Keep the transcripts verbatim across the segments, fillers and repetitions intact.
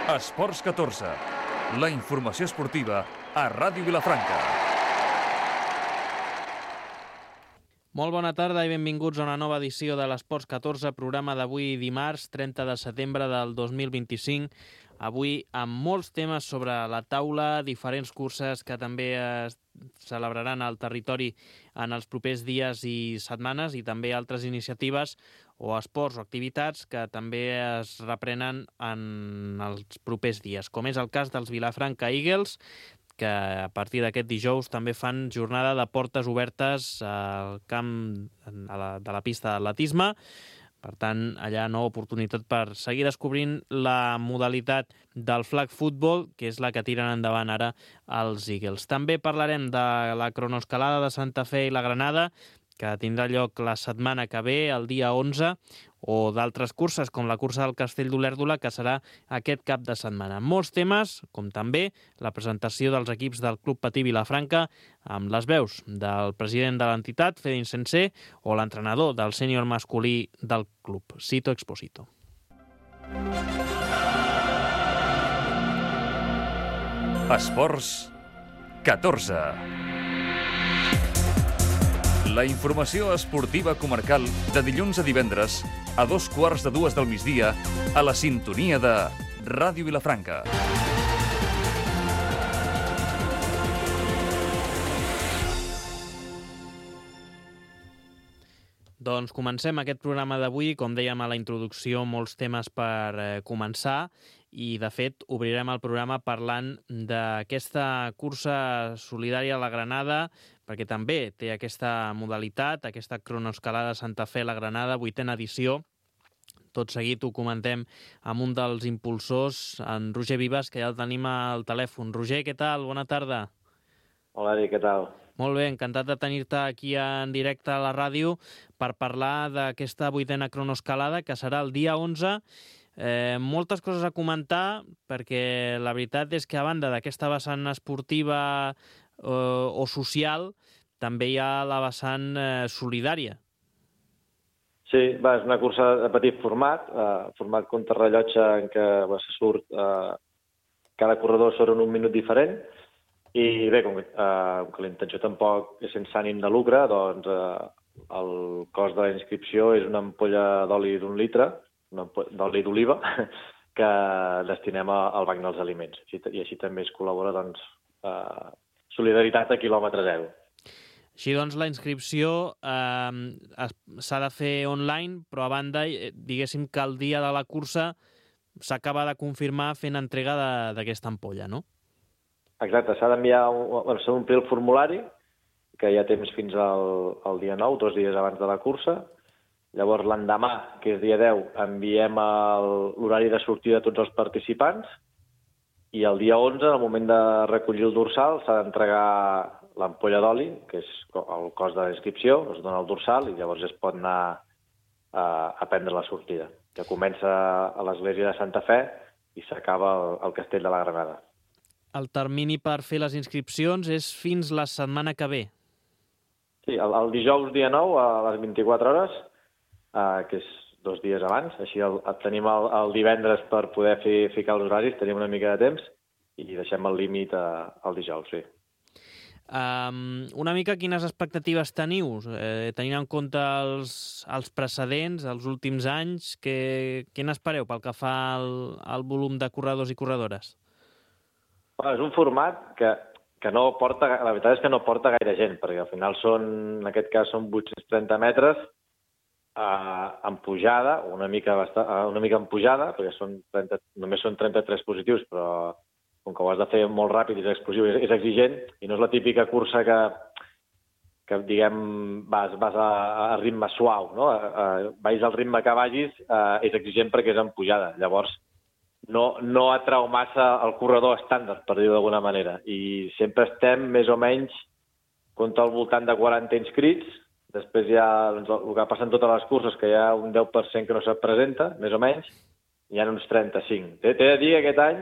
Esports catorze, la informació esportiva a Ràdio Vilafranca. Molt bona tarda i benvinguts a una nova edició de l'Esports catorze, programa d'avui dimarts, trenta de setembre del dos mil vint-i-cinc. Avui amb molts temes sobre la taula, diferents curses que també es celebraran al territori en els propers dies i setmanes i també altres iniciatives o esports o activitats que també es reprenen en els propers dies, com és el cas dels Vilafranca Eagles, que a partir d'aquest dijous també fan jornada de portes obertes al camp a la, de la pista d'atletisme. Per tant, allà nova oportunitat per seguir descobrint la modalitat del flag football, que és la que tiren endavant ara els Eagles. També parlarem de la cronoescalada de Santa Fe i la Granada, que tindrà lloc la setmana que ve, el dia onze, o d'altres curses, com la cursa del Castell d'Olèrdola, que serà aquest cap de setmana. Molts temes, com també la presentació dels equips del Club Patí Vilafranca, amb les veus del president de l'entitat, Fede Insensé, o l'entrenador del sènior masculí del club, Sito Exposito. Esports catorze. La informació esportiva comarcal de dilluns a divendres a dos quarts de dues del migdia a la sintonia de Ràdio Vilafranca. Doncs comencem aquest programa d'avui. Com dèiem a la introducció, molts temes per eh, començar i, de fet, obrirem el programa parlant d'aquesta cursa solidària a la Granada, perquè també té aquesta modalitat, aquesta cronoescalada Santa Fe a la Granada, vuitena edició. Tot seguit ho comentem amb un dels impulsors, en Roger Vives, que ja el tenim al telèfon. Roger, què tal? Bona tarda. Hola, Ari, què tal? Molt bé, encantat de tenir-te aquí en directe a la ràdio per parlar d'aquesta vuitena cronoescalada, que serà el dia onze. Eh, moltes coses a comentar, perquè la veritat és que a banda d'aquesta vessant esportiva eh, o social, també hi ha la vessant eh, solidària. Sí, va, és una cursa de petit format, eh, format contrarrellotge en què va, se surt eh, cada corredor sobre un minut diferent, i bé, com, eh, com que la intenció tampoc és sense ànim de lucre, doncs eh, el cost de la inscripció és una ampolla d'oli d'un litre, una ampolla d'oli d'oliva, que destinem al Banc dels Aliments. I així també es col·labora, doncs, eh, solidaritat a quilòmetre zero. Així doncs, la inscripció eh, s'ha de fer online, però a banda, diguéssim que el dia de la cursa s'acaba de confirmar fent entrega d'aquesta ampolla, no? Exacte, s'ha d'enviar, bueno, s'ha d'omplir el formulari, que hi ha temps fins al, al dia nou, dos dies abans de la cursa. Llavors, l'endemà, que és dia deu, enviem l'horari de sortida de tots els participants, i el dia onze, al moment de recollir el dorsal, s'ha d'entregar l'ampolla d'oli, que és el cost de la inscripció, es dona el dorsal i llavors es pot anar a, a prendre la sortida, que comença a l'església de Santa Fe i s'acaba al, al Castell de la Granada. El termini per fer les inscripcions és fins la setmana que ve. Sí, el, el dijous dia nou a les vint-i-quatre hores, eh, que és dos dies abans, així el, el tenim el, el divendres per poder fer, ficar els horaris, tenim una mica de temps i deixem el límit el dijous, sí. Um, una mica quines expectatives teniu, eh, tenint en compte els, els precedents, els últims anys, que, què n'espereu pel que fa al, al volum de corredors i corredores? Bueno, és un format que, que no porta, la veritat és que no porta gaire gent, perquè al final són, en aquest cas són vuit-cents trenta metres eh, en pujada, una mica, bastant, una mica en pujada, perquè són trenta, només són trenta-tres positius, però com que ho has de fer molt ràpid i és explosiu, és, és exigent, i no és la típica cursa que, que diguem, vas, vas a, a ritme suau, no? A, a, vagis al ritme que vagis, eh, és exigent perquè és en pujada. Llavors, no, no atrau massa el corredor estàndard, per dir-ho d'alguna manera. I sempre estem més o menys compta al voltant de quaranta inscrits. Després hi ha doncs, el que passa en totes les curses, que hi ha un deu per cent que no se't presenta, més o menys, hi ha uns trenta-cinc. T'he de dir que aquest any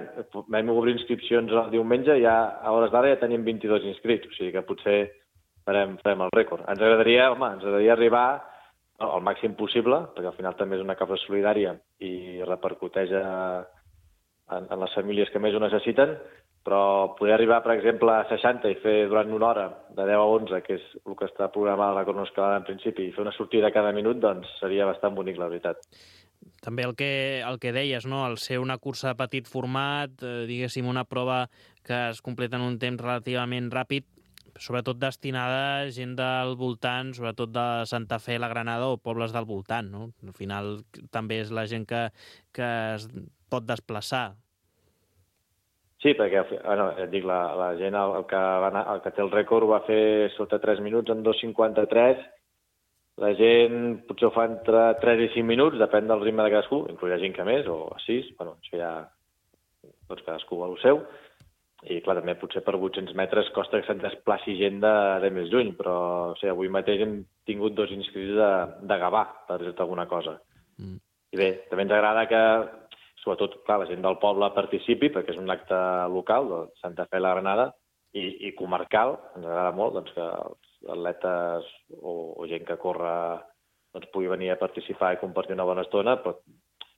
vam obrir inscripcions el diumenge i ja, a hores d'ara ja tenim vint-i-dos inscrits, o sigui que potser farem, farem el rècord. Ens agradaria, home, ens agradaria arribar al màxim possible, perquè al final també és una causa solidària i repercuteix a, en, en les famílies que més ho necessiten, però poder arribar, per exemple, a seixanta i fer durant una hora, de deu a onze, que és el que està programat a la cronoescalada en principi, i fer una sortida cada minut, doncs seria bastant bonic, la veritat. També el que, el que deies, no? El ser una cursa de petit format, eh, diguéssim, una prova que es completa en un temps relativament ràpid, sobretot destinada a gent del voltant, sobretot de Santa Fe, la Granada o pobles del voltant, no? Al final també és la gent que, que es pot desplaçar. Sí, perquè, bueno, et dic, la, la gent, el, el, que va anar, el que té el rècord ho va fer sota tres minuts, en dos cinquanta-tres. La gent potser ho fa entre tres i cinc minuts, depèn del ritme de cadascú, inclús hi ha gent que més, o a sis, bueno, això ja, doncs cadascú va al seu. I, clar, també potser per vuit-cents metres costa que se'n desplaci gent de, de més lluny, però o sigui, avui mateix hem tingut dos inscrits de, de Gavà, per dir-te alguna cosa. Mm. I bé, també ens agrada que, sobretot, clar, la gent del poble participi, perquè és un acte local, de Santa Fe i la Granada, i, i comarcal. Ens agrada molt doncs, que els atletes o, o gent que corre doncs, pugui venir a participar i compartir una bona estona, però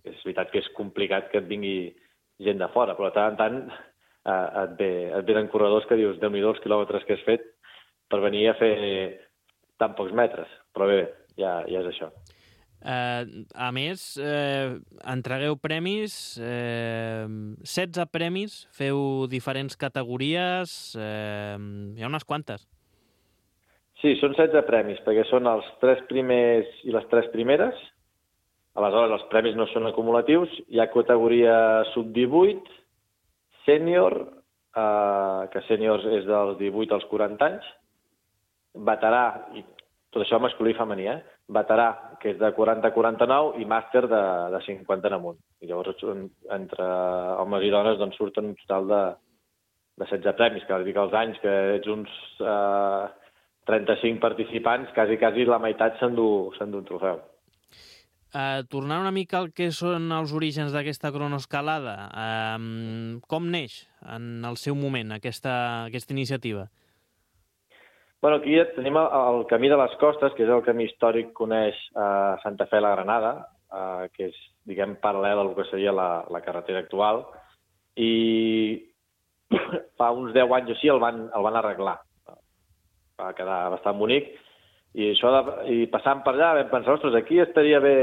és veritat que és complicat que et vingui gent de fora, però de tant en tant eh, et, ve, et venen corredors que dius, déu-n'hi-do els quilòmetres que has fet per venir a fer tan pocs metres, però bé, ja, ja és això. Eh, a més, eh, entregueu premis, eh, setze premis, feu diferents categories, eh, hi ha unes quantes. Sí, són setze premis, perquè són els tres primers i les tres primeres. Aleshores, els premis no són acumulatius. Hi ha categoria sub divuit, sènior, eh, que sènior és dels divuit als quaranta anys, veterà, i tot això masculí i femení, eh? Veterà, que és de quaranta a quaranta-nou, i màster de, de cinquanta en amunt. I llavors, entre homes i dones, doncs, surten un total de, de setze premis, que dir que els anys que ets uns eh, trenta-cinc participants, quasi, quasi la meitat s'endú un trofeu. Uh, tornant una mica al que són els orígens d'aquesta cronoescalada, uh, com neix en el seu moment aquesta, aquesta iniciativa? Bueno, aquí tenim el, el Camí de les Costes, que és el camí històric que uneix uh, Santa Fe i la Granada, uh, que és, diguem, paral·lel al que seria la, la carretera actual, i fa uns deu anys o així el van, el van arreglar. Va quedar bastant bonic, i això de, i passant per allà vam pensar, ostres, aquí estaria bé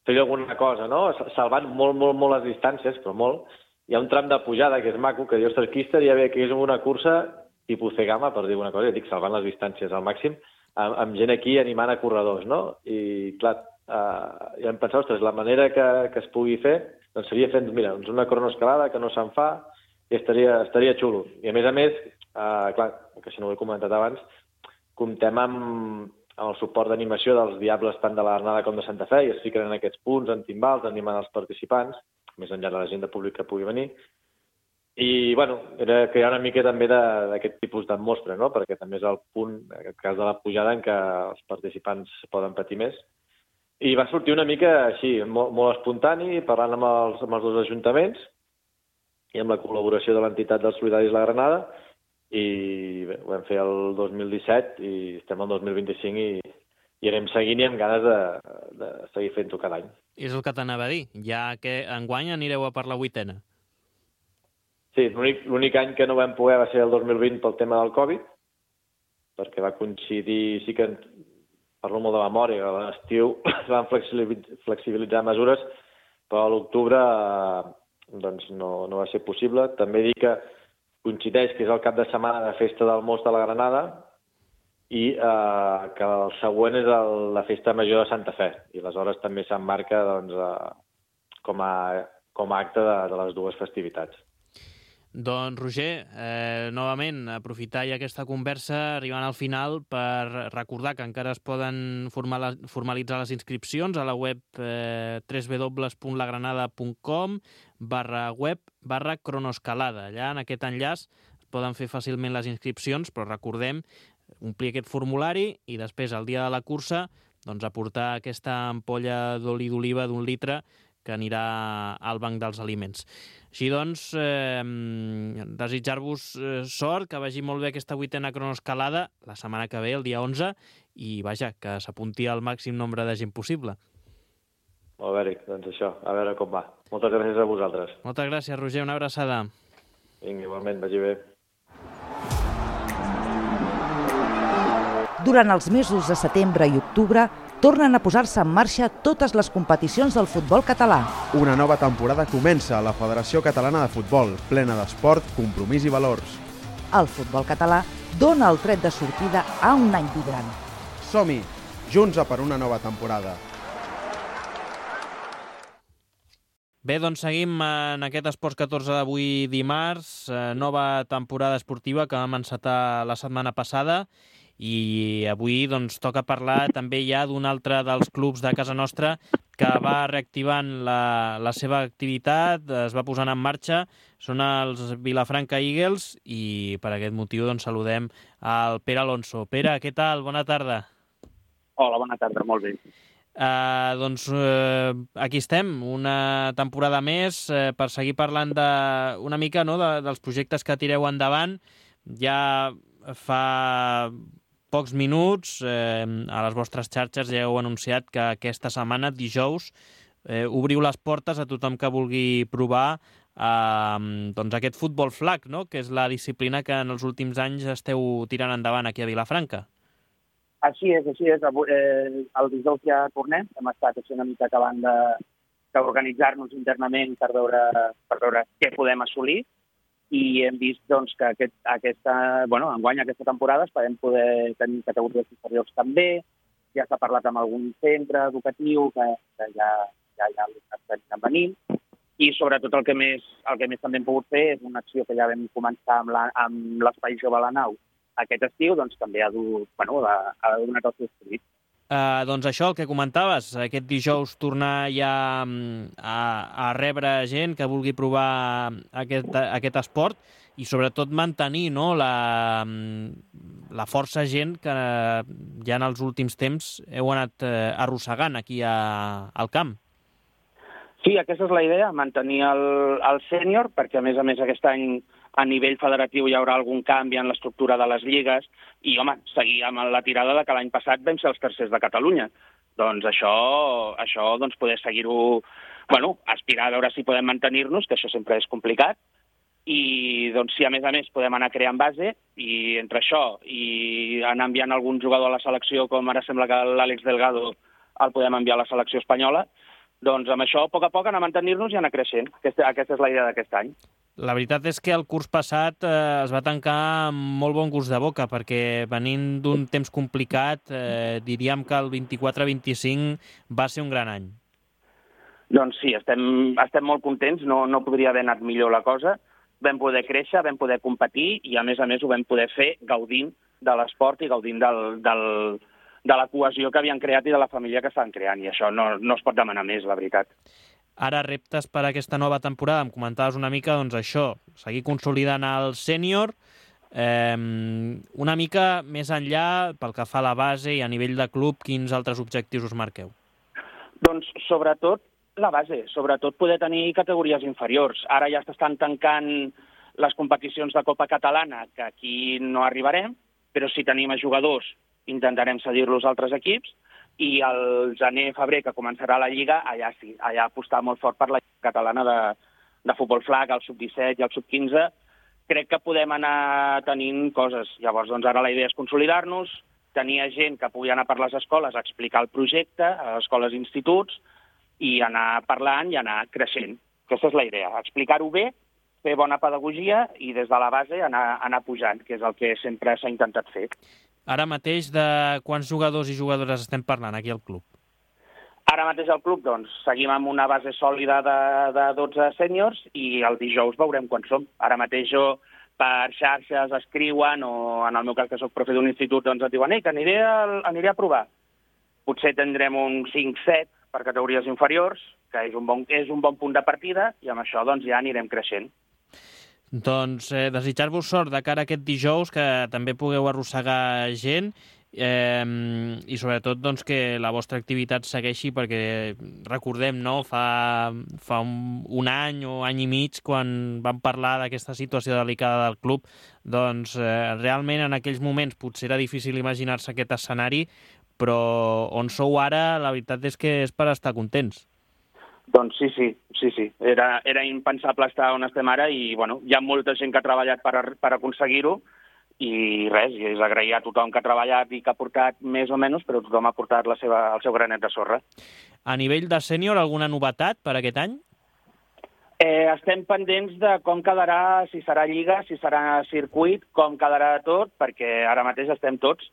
fer alguna cosa, no? Salvant molt, molt, molt les distàncies, però molt. Hi ha un tram de pujada que és maco, que dius, ostres, aquí estaria bé que hi hagués una cursa tipus Cegama, per dir una cosa, ja dic, salvant les distàncies al màxim, amb, amb gent aquí animant a corredors, no? I, clar, eh, ja em pensava, ostres, la manera que, que es pugui fer, doncs seria fent, mira, doncs una cronoescalada que no se'n fa, i estaria, estaria xulo. I a més a més, eh, clar, que si no ho he comentat abans, comptem amb, amb el suport d'animació dels Diables tant de la Granada com de Santa Fe, i es fiquen en aquests punts, en timbals, animant els participants, més enllà de la gent de públic que pugui venir. I, bueno, era crear una mica també d'aquest tipus d'atmosfera, no? Perquè també és el punt, en aquest cas de la pujada, en què els participants poden patir més. I va sortir una mica així, molt, molt espontani, parlant amb els, amb els dos ajuntaments i amb la col·laboració de l'entitat dels Solidaris La Granada, i bé, ho vam fer el dos mil disset i estem al dos mil vint-i-cinc i, i anem seguint i amb ganes de, de seguir fent-ho cada any. És el que t'anava a dir, ja que enguany anireu a per la vuitena. Sí, l'únic any que no vam poder va ser el dos mil vint pel tema del Covid, perquè va coincidir, sí que parlo molt de memòria, que a l'estiu es van flexibilitzar mesures, però a l'octubre doncs no, no va ser possible. També dic que coincideix que és el cap de setmana de Festa del Most de la Granada i eh, que el següent és el, la Festa Major de Santa Fe, i aleshores també s'emmarca doncs, eh, com, a, com a acte de, de les dues festivitats. Doncs, Roger, eh, novament, aprofitar ja aquesta conversa arribant al final per recordar que encara es poden formalitzar les inscripcions a la web eh, w w w punt lagranada punt com barra web barra cronoescalada. Allà, en aquest enllaç, es poden fer fàcilment les inscripcions, però recordem omplir aquest formulari i després, el dia de la cursa, doncs, aportar aquesta ampolla d'oli d'oliva d'un litre que anirà al banc dels aliments. Així doncs, eh, desitjar-vos eh, sort, que vagi molt bé aquesta vuitena cronoescalada la setmana que ve, el dia onze, i vaja, que s'apunti al màxim nombre de gent possible. Molt bé, Eric, doncs això, a veure com va. Moltes gràcies a vosaltres. Moltes gràcies, Roger, una abraçada. Vinga, igualment, vagi bé. Durant els mesos de setembre i octubre, tornen a posar-se en marxa totes les competicions del futbol català. Una nova temporada comença a la Federació Catalana de Futbol, plena d'esport, compromís i valors. El futbol català dona el tret de sortida a un any vibrant. Som-hi, junts a per una nova temporada. Bé, doncs seguim en aquest Esports catorze d'avui dimarts, eh, nova temporada esportiva que vam encetar la setmana passada i avui doncs, toca parlar també ja d'un altre dels clubs de casa nostra que va reactivant la, la seva activitat, es va posant en marxa, són els Vilafranca Eagles i per aquest motiu doncs, saludem al Pere Alonso. Pere, què tal? Bona tarda. Hola, bona tarda, molt bé. Uh, doncs uh, aquí estem, una temporada més uh, per seguir parlant de, una mica no, de, dels projectes que tireu endavant. Ja fa pocs minuts eh, a les vostres xarxes ja heu anunciat que aquesta setmana, dijous, eh, obriu les portes a tothom que vulgui provar eh, doncs aquest futbol flag, no? Que és la disciplina que en els últims anys esteu tirant endavant aquí a Vilafranca. Així és, així és. Eh, el dijous ja tornem. Hem estat així una mica acabant de, d'organitzar-nos internament per veure, per veure què podem assolir i hem vist doncs, que aquest, aquesta, bueno, enguany aquesta temporada esperem poder tenir categories inferiors també. Ja s'ha parlat amb algun centre educatiu que, que ja, ja, ja estan venint. I sobretot el que, més, el que més també hem pogut fer és una acció que ja vam començar amb, la, amb l'Espai Jove a la Nau aquest estiu, doncs també ha, du, bueno, ha, ha donat el seu fruit. Uh, doncs això, el que comentaves, aquest dijous tornar ja a, a rebre gent que vulgui provar aquest, aquest esport i sobretot mantenir no, la, la força gent que ja en els últims temps heu anat arrossegant aquí a, al camp. Sí, aquesta és la idea, mantenir el, el sènior, perquè a més a més aquest any a nivell federatiu hi haurà algun canvi en l'estructura de les lligues i, home, seguir amb la tirada de que l'any passat vam ser els tercers de Catalunya. Doncs això, això doncs poder seguir-ho, bueno, aspirar a veure si podem mantenir-nos, que això sempre és complicat, i doncs si a més a més podem anar creant base i entre això i anar enviant algun jugador a la selecció, com ara sembla que l'Àlex Delgado el podem enviar a la selecció espanyola, doncs amb això a poc a poc anar a mantenir-nos i anar creixent. Aquesta, aquesta és la idea d'aquest any. La veritat és que el curs passat eh, es va tancar amb molt bon gust de boca, perquè venint d'un temps complicat, eh, diríem que el vint-i-quatre vint-i-cinc va ser un gran any. Doncs sí, estem, estem molt contents, no, no podria haver anat millor la cosa. Vam poder créixer, vam poder competir i a més a més ho vam poder fer gaudint de l'esport i gaudint del, del, de la cohesió que havien creat i de la família que estan creant, i això no, no es pot demanar més, la veritat. Ara reptes per a aquesta nova temporada, em comentaves una mica doncs això, seguir consolidant el sènior, eh, una mica més enllà pel que fa a la base i a nivell de club, quins altres objectius us marqueu? Doncs sobretot la base, sobretot poder tenir categories inferiors. Ara ja s'estan tancant les competicions de Copa Catalana, que aquí no arribarem, però si tenim a jugadors intentarem cedir-los a altres equips, i el gener-febrer, que començarà la Lliga, allà sí, allà apostar molt fort per la Lliga Catalana de, de futbol flag, el sub disset i el sub quinze. Crec que podem anar tenint coses. Llavors, doncs, ara la idea és consolidar-nos, tenir gent que pugui anar per les escoles a explicar el projecte, a les escoles i instituts, i anar parlant i anar creixent. Aquesta és la idea, explicar-ho bé, fer bona pedagogia i des de la base anar, anar pujant, que és el que sempre s'ha intentat fer. Ara mateix de quants jugadors i jugadores estem parlant aquí al club? Ara mateix al club doncs, seguim amb una base sòlida de, de dotze sèniors i el dijous veurem quan som. Ara mateix jo per xarxes escriuen o en el meu cas que soc profe d'un institut doncs et diuen ei, que aniré a, aniré a provar. Potser tindrem un cinc set per categories inferiors, que és un bon, és un bon punt de partida i amb això doncs ja anirem creixent. Doncs eh, desitjar-vos sort de cara a aquest dijous, que també pugueu arrossegar gent eh, i sobretot doncs, que la vostra activitat segueixi, perquè recordem, no? fa, fa un, un any o any i mig quan vam parlar d'aquesta situació delicada del club, doncs eh, realment en aquells moments potser era difícil imaginar-se aquest escenari, però on sou ara la veritat és que és per estar contents. Doncs sí, sí, sí, sí. Era, era impensable estar on estem ara i, bueno, hi ha molta gent que ha treballat per, per aconseguir-ho i res, i és agrair a tothom que ha treballat i que ha portat més o menys, però tothom ha portat la seva, el seu granet de sorra. A nivell de sènior, alguna novetat per aquest any? Eh, estem pendents de com quedarà, si serà lliga, si serà circuit, com quedarà tot, perquè ara mateix estem tots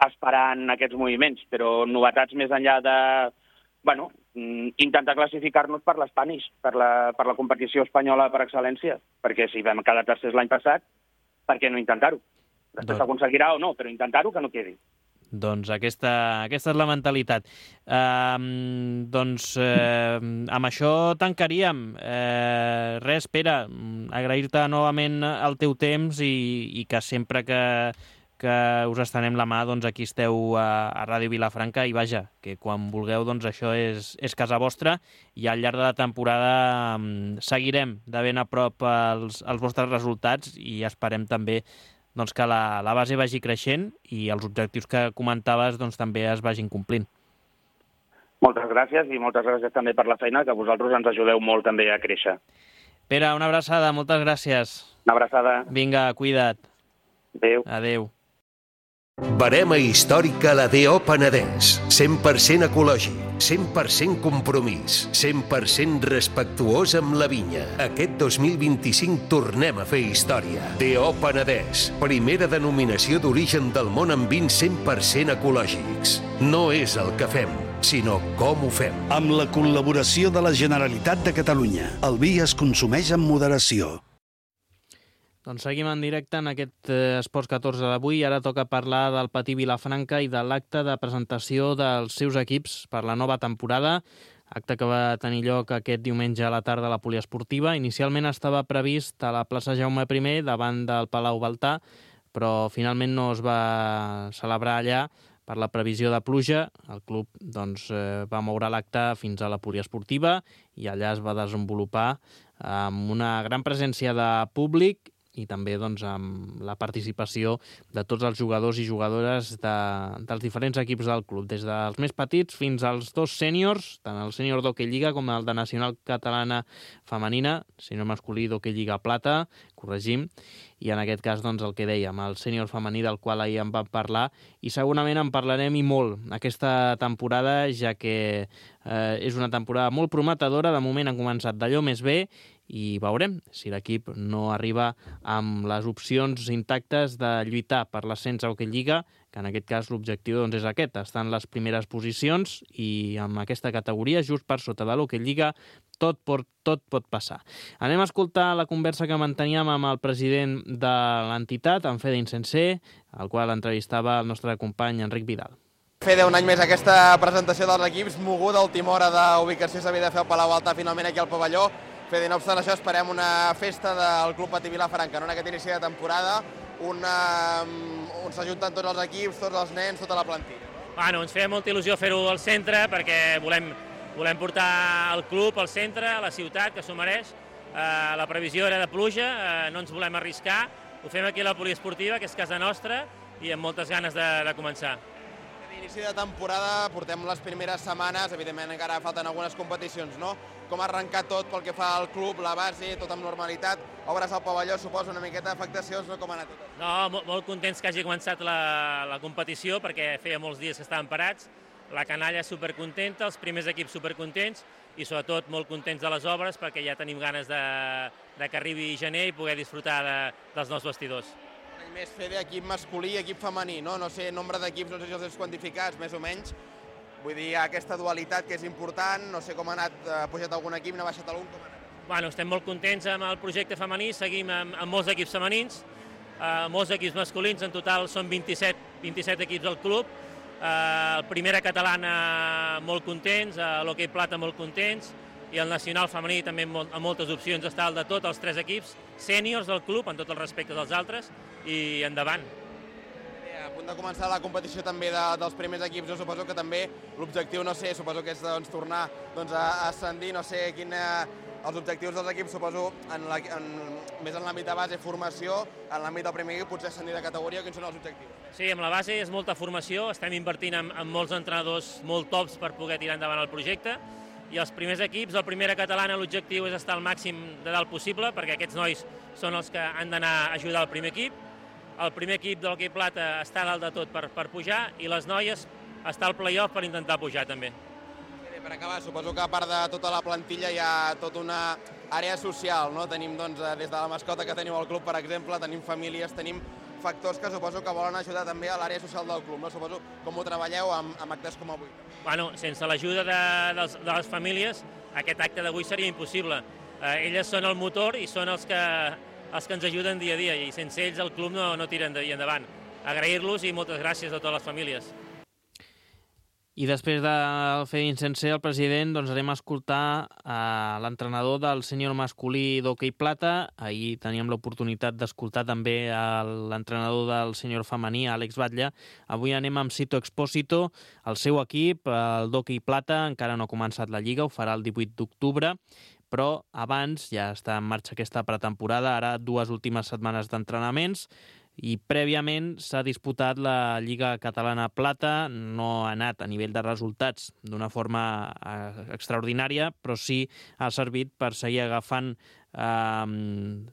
esperant aquests moviments, però novetats més enllà de, bueno, intentar classificar-nos per l'Spanish, per la, per la competició espanyola per excel·lència, perquè si vam quedar tercers l'any passat, per què no intentar-ho? Després s'aconseguirà o no, però intentar-ho que no quedi. Doncs aquesta, aquesta és la mentalitat. Uh, doncs uh, amb això tancaríem. Uh, res, Pere, agrair-te novament el teu temps i, i que sempre que, que us estenem la mà, doncs aquí esteu a, a Ràdio Vilafranca i vaja, que quan vulgueu doncs això és, és casa vostra i al llarg de la temporada um, seguirem de ben a prop els, els vostres resultats i esperem també doncs, que la, la base vagi creixent i els objectius que comentaves doncs, també es vagin complint. Moltes gràcies i moltes gràcies també per la feina, que vosaltres ens ajudeu molt també a créixer. Pere, una abraçada, moltes gràcies. Una abraçada. Vinga, cuida't. Adéu. Adéu. Barema històrica la D O Penedès. cent per cent ecològic, cent per cent compromís, cent per cent respectuós amb la vinya. Aquest dos mil vint-i-cinc tornem a fer història. D O Penedès, primera denominació d'origen del món amb vins cent per cent ecològics. No és el que fem, sinó com ho fem. Amb la col·laboració de la Generalitat de Catalunya, el vi es consumeix amb moderació. Doncs seguim en directe en aquest eh, Esports catorze d'avui. Ara toca parlar del Patí Vilafranca i de l'acte de presentació dels seus equips per la nova temporada, acte que va tenir lloc aquest diumenge a la tarda a la poliesportiva. Inicialment estava previst a la plaça Jaume primer, davant del Palau Baltà, però finalment no es va celebrar allà per la previsió de pluja. El club doncs, eh, va moure l'acte fins a la poliesportiva i allà es va desenvolupar amb una gran presència de públic i també doncs, amb la participació de tots els jugadors i jugadores de, dels diferents equips del club, des dels més petits fins als dos sèniors, tant el sènior d'Hockey Lliga com el de Nacional Catalana Femenina, sènior masculí d'Hockey Lliga Plata, corregim, i en aquest cas doncs, el que dèiem, el sènior femení del qual ahir en vam parlar, i segurament en parlarem i molt aquesta temporada, ja que eh, és una temporada molt prometedora, de moment han començat d'allò més bé, i veurem si l'equip no arriba amb les opcions intactes de lluitar per l'ascens a Hockey Lliga, que en aquest cas l'objectiu doncs, és aquest, estar en les primeres posicions i amb aquesta categoria, just per sota de l'Hockey Lliga, tot pot, tot pot passar. Anem a escoltar la conversa que manteníem amb el president de l'entitat, en Fede Insensé, al qual entrevistava el nostre company Enric Vidal. Fede, un any més aquesta presentació dels equips, moguda a última hora d'ubicació s'havia de fer al Palau Baltà, finalment aquí al pavelló. Fede, no obstant això, esperem una festa del Club Patí Vilafranca, no? En aquest inici de temporada, una, on s'ajunten tots els equips, tots els nens, tota la plantilla. Bueno, ens feia molta il·lusió fer-ho al centre perquè volem, volem portar el club al centre, a la ciutat, que s'ho mereix. Eh, la previsió era de pluja, eh, no ens volem arriscar. Ho fem aquí a la poliesportiva, que és casa nostra, i amb moltes ganes de, de començar. Inici de temporada, portem les primeres setmanes, evidentment encara falten algunes competicions, no? Com ha arrencat tot pel que fa al club, la base, tot amb normalitat, obres al pavelló, suposa una miqueta d'afectacions, no? Com ha anat tot? No, molt, molt contents que hagi començat la, la competició, perquè feia molts dies que estaven parats, la canalla supercontenta, els primers equips supercontents i sobretot molt contents de les obres perquè ja tenim ganes de, de que arribi gener i poder disfrutar de, dels nous vestidors. Més Fede, equip masculí i equip femení, no? No sé, nombre d'equips, no sé si els has quantificats, més o menys. Vull dir, aquesta dualitat que és important, no sé com ha anat, ha pujat algun equip, n'ha baixat algun, com ha anat? Bueno, estem molt contents amb el projecte femení, seguim amb, amb molts equips femenins, eh, molts equips masculins, en total són vint-i-set, vint-i-set equips al club, eh, primera catalana molt contents, eh, l'Hockey Plata molt contents, i el nacional femení també amb moltes opcions, està el de tots els tres equips, sèniors del club, en tot el respecte dels altres, i endavant. A punt de començar la competició també de, dels primers equips, jo suposo que també l'objectiu, no sé, suposo que és doncs, tornar doncs, a ascendir, no sé quin, eh, els objectius dels equips, suposo, en la, en, més en l'àmbit de base, formació, en l'àmbit del primer equip, potser ascendir de categoria, quins són els objectius? Sí, amb la base és molta formació, estem invertint en, en molts entrenadors molt tops per poder tirar endavant el projecte. i els primers equips, el primera catalana, l'objectiu és estar al màxim de dalt possible, perquè aquests nois són els que han d'anar a ajudar el primer equip. El primer equip de l'hoquei plata està dalt de tot per, per pujar, i les noies està al play-off per intentar pujar també. Per acabar, suposo que a part de tota la plantilla hi ha tota una àrea social, no? Tenim doncs, des de la mascota que tenim al club, per exemple, tenim famílies, tenim factors que suposo que volen ajudar també a l'àrea social del club, no? Suposo com ho treballeu amb, amb actes com avui. Bueno, sense l'ajuda de, de, de les famílies, aquest acte d'avui seria impossible. Eh, elles són el motor i són els que, els que ens ajuden dia a dia, i sense ells el club no, no tira endavant. Agrair-los i moltes gràcies a totes les famílies. I després de fer incenser el president, doncs anem a escoltar a l'entrenador del sènior masculí d'hoquei plata. Ahir teníem l'oportunitat d'escoltar també l'entrenador del sènior femení, Àlex Batlle. Avui anem amb Sito Expósito. El seu equip, el d'hoquei plata, encara no ha començat la lliga, ho farà el divuit d'octubre, però abans ja està en marxa aquesta pretemporada, ara dues últimes setmanes d'entrenaments, i prèviament s'ha disputat la Lliga Catalana Plata. No ha anat a nivell de resultats d'una forma eh, extraordinària, però sí ha servit per seguir agafant eh,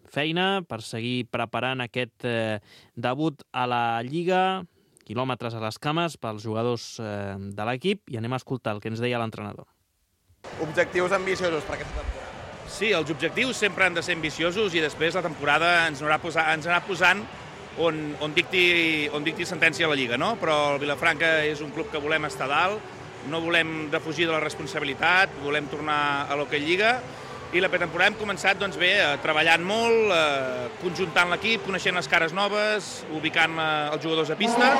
feina, per seguir preparant aquest eh, debut a la Lliga, quilòmetres a les cames pels jugadors eh, de l'equip, i anem a escoltar el que ens deia l'entrenador. Objectius ambiciosos per aquesta temporada? Sí, els objectius sempre han de ser ambiciosos i després la temporada ens anarà posant, ens anarà posant on, on, dicti, on dicti sentència a la Lliga, no? Però el Vilafranca és un club que volem estar dalt, no volem defugir de la responsabilitat, volem tornar a l'Hockey Lliga, i la pretemporada hem començat doncs, bé, treballant molt, eh, conjuntant l'equip, coneixent les cares noves, ubicant eh, els jugadors a pista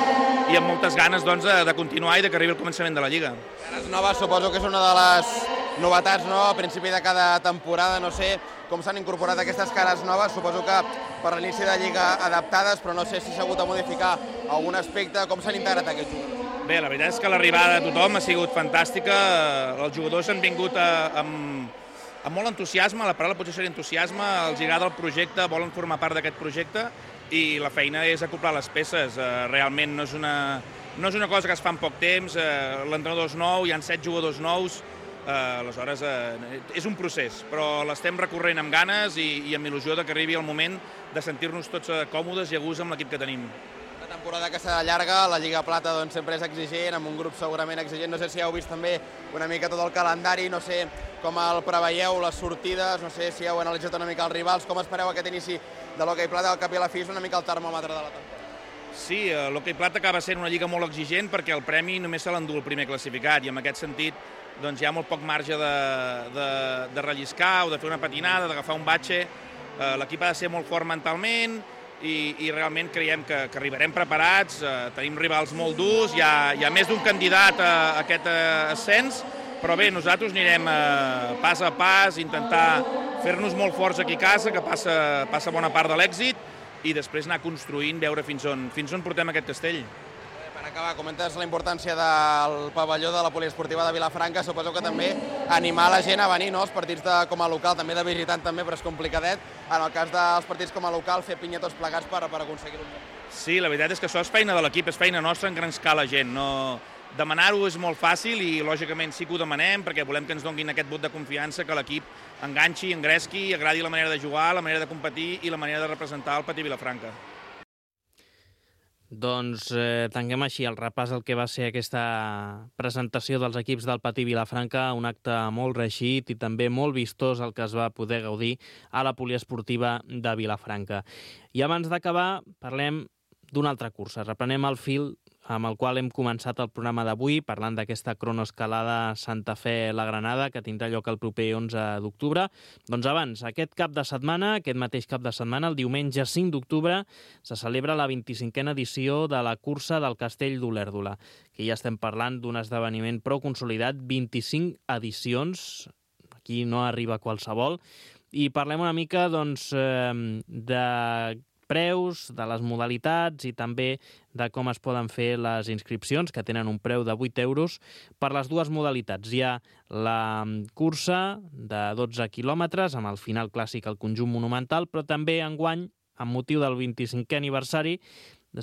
i amb moltes ganes doncs, de, de continuar i de que arribi el començament de la Lliga. Cares noves suposo que és una de les novetats, no? A principi de cada temporada, no sé com s'han incorporat aquestes cares noves, suposo que per l'inici de Lliga adaptades, però no sé si s'ha hagut de modificar algun aspecte, com s'han integrat aquests jugadors? Bé, la veritat és que l'arribada de tothom ha sigut fantàstica, els jugadors han vingut a, amb, amb molt entusiasme, la paraula potser seria entusiasme, els agrada el projecte, volen formar part d'aquest projecte i la feina és acoplar les peces, realment no és una, no és una cosa que es fa en poc temps, l'entrenador és nou, hi ha set jugadors nous, Uh, aleshores uh, és un procés, però l'estem recorrent amb ganes i, i amb il·lusió de que arribi el moment de sentir-nos tots uh, còmodes i a gust amb l'equip que tenim. La temporada que serà llarga, la Lliga Plata doncs, sempre és exigent, amb un grup segurament exigent, no sé si heu vist també una mica tot el calendari, no sé com el preveieu, les sortides, no sé si heu analitzat una mica els rivals, com espereu aquest inici de l'Hockey Plata, al cap i a la fi és una mica el termòmetre de la temporada. Sí, l'Hockey Plata acaba sent una lliga molt exigent perquè el premi només se l'endú el primer classificat i en aquest sentit doncs hi ha molt poc marge de, de, de relliscar o de fer una patinada, d'agafar un batxe. Eh, l'equip ha de ser molt fort mentalment i, i realment creiem que, que arribarem preparats, eh, tenim rivals molt durs, hi ha, hi ha més d'un candidat a, a aquest eh, ascens, però bé, nosaltres anirem eh, pas a pas, intentar fer-nos molt forts aquí a casa, que passa, passa bona part de l'èxit, i després anar construint, veure fins on, fins on portem aquest castell. Per acabar, comentes la importància del pavelló de la poliesportiva de Vilafranca, suposo que també animar la gent a venir, no? Els partits de, com a local, també de visitant també, però és complicadet. En el cas dels partits com a local, fer pinya tots plegats per, per aconseguir-ho. Sí, la veritat és que això és feina de l'equip, és feina nostra en gran escala, gent. No... Demanar-ho és molt fàcil i, lògicament, sí que ho demanem perquè volem que ens donguin aquest vot de confiança, que l'equip enganxi, engresqui, agradi la manera de jugar, la manera de competir i la manera de representar el Patí Vilafranca. Doncs eh, tanquem així el repàs del que va ser aquesta presentació dels equips del Patí Vilafranca, un acte molt reeixit i també molt vistós el que es va poder gaudir a la poliesportiva de Vilafranca. I abans d'acabar parlem d'una altra cursa, reprenem el fil amb el qual hem començat el programa d'avui, parlant d'aquesta cronoescalada Santa Fe-La Granada, que tindrà lloc el proper onze d'octubre. Doncs abans, aquest cap de setmana, aquest mateix cap de setmana, el diumenge cinc d'octubre, se celebra la vint-i-cinquena edició de la cursa del Castell d'Olèrdola, que ja estem parlant d'un esdeveniment prou consolidat, vint-i-cinc edicions, aquí no arriba qualsevol, i parlem una mica doncs, de preus, de les modalitats i també de com es poden fer les inscripcions, que tenen un preu de vuit euros per les dues modalitats. Hi ha la cursa de dotze quilòmetres, amb el final clàssic al conjunt monumental, però també enguany, amb motiu del vint-i-cinquè aniversari,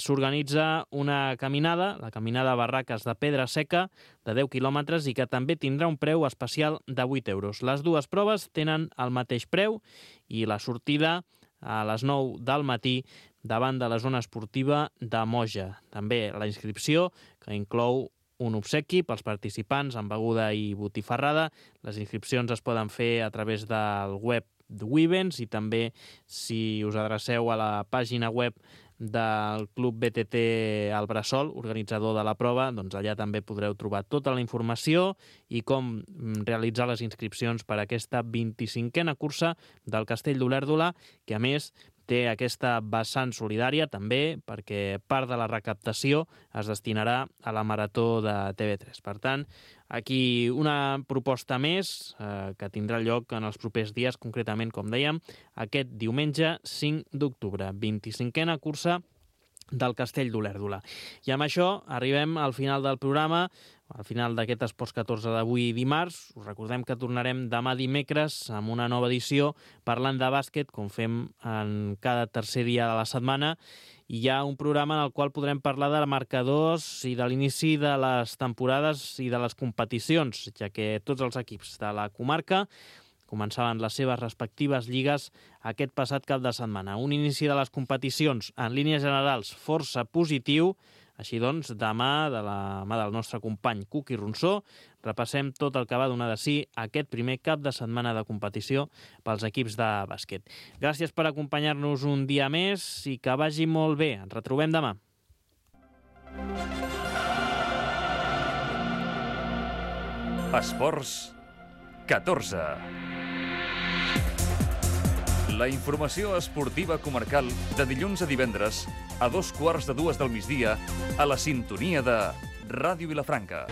s'organitza una caminada, la caminada Barraques de Pedra Seca, de deu quilòmetres i que també tindrà un preu especial de vuit euros. Les dues proves tenen el mateix preu i la sortida a les nou del matí davant de la zona esportiva de Moja. També la inscripció, que inclou un obsequi pels participants amb beguda i botifarrada. Les inscripcions es poden fer a través del web d'Wivens i també si us adreceu a la pàgina web del Club B T T El Bressol, organitzador de la prova, doncs allà també podreu trobar tota la informació i com realitzar les inscripcions per a aquesta vint-i-cinquena cursa del Castell d'Olèrdola, que a més té aquesta vessant solidària també perquè part de la recaptació es destinarà a la Marató de T V tres. Per tant, aquí una proposta més eh, que tindrà lloc en els propers dies, concretament, com dèiem, aquest diumenge cinc d'octubre, vint-i-cinquena cursa del Castell d'Olèrdola. I amb això arribem al final del programa, al final d'aquest Esports catorze d'avui dimarts. Us recordem que tornarem demà dimecres amb una nova edició parlant de bàsquet, com fem en cada tercer dia de la setmana. I hi ha un programa en el qual podrem parlar de marcadors i de l'inici de les temporades i de les competicions, ja que tots els equips de la comarca començaven les seves respectives lligues aquest passat cap de setmana. Un inici de les competicions, en línies generals, força positiu. Així doncs, demà, de la mà del nostre company Cuqui Ronsó, repassem tot el que va donar de si aquest primer cap de setmana de competició pels equips de bàsquet. Gràcies per acompanyar-nos un dia més i que vagi molt bé. Ens retrobem demà. Esports catorze. La informació esportiva comarcal de dilluns a divendres a dos quarts de dues del migdia a la sintonia de Ràdio Vilafranca.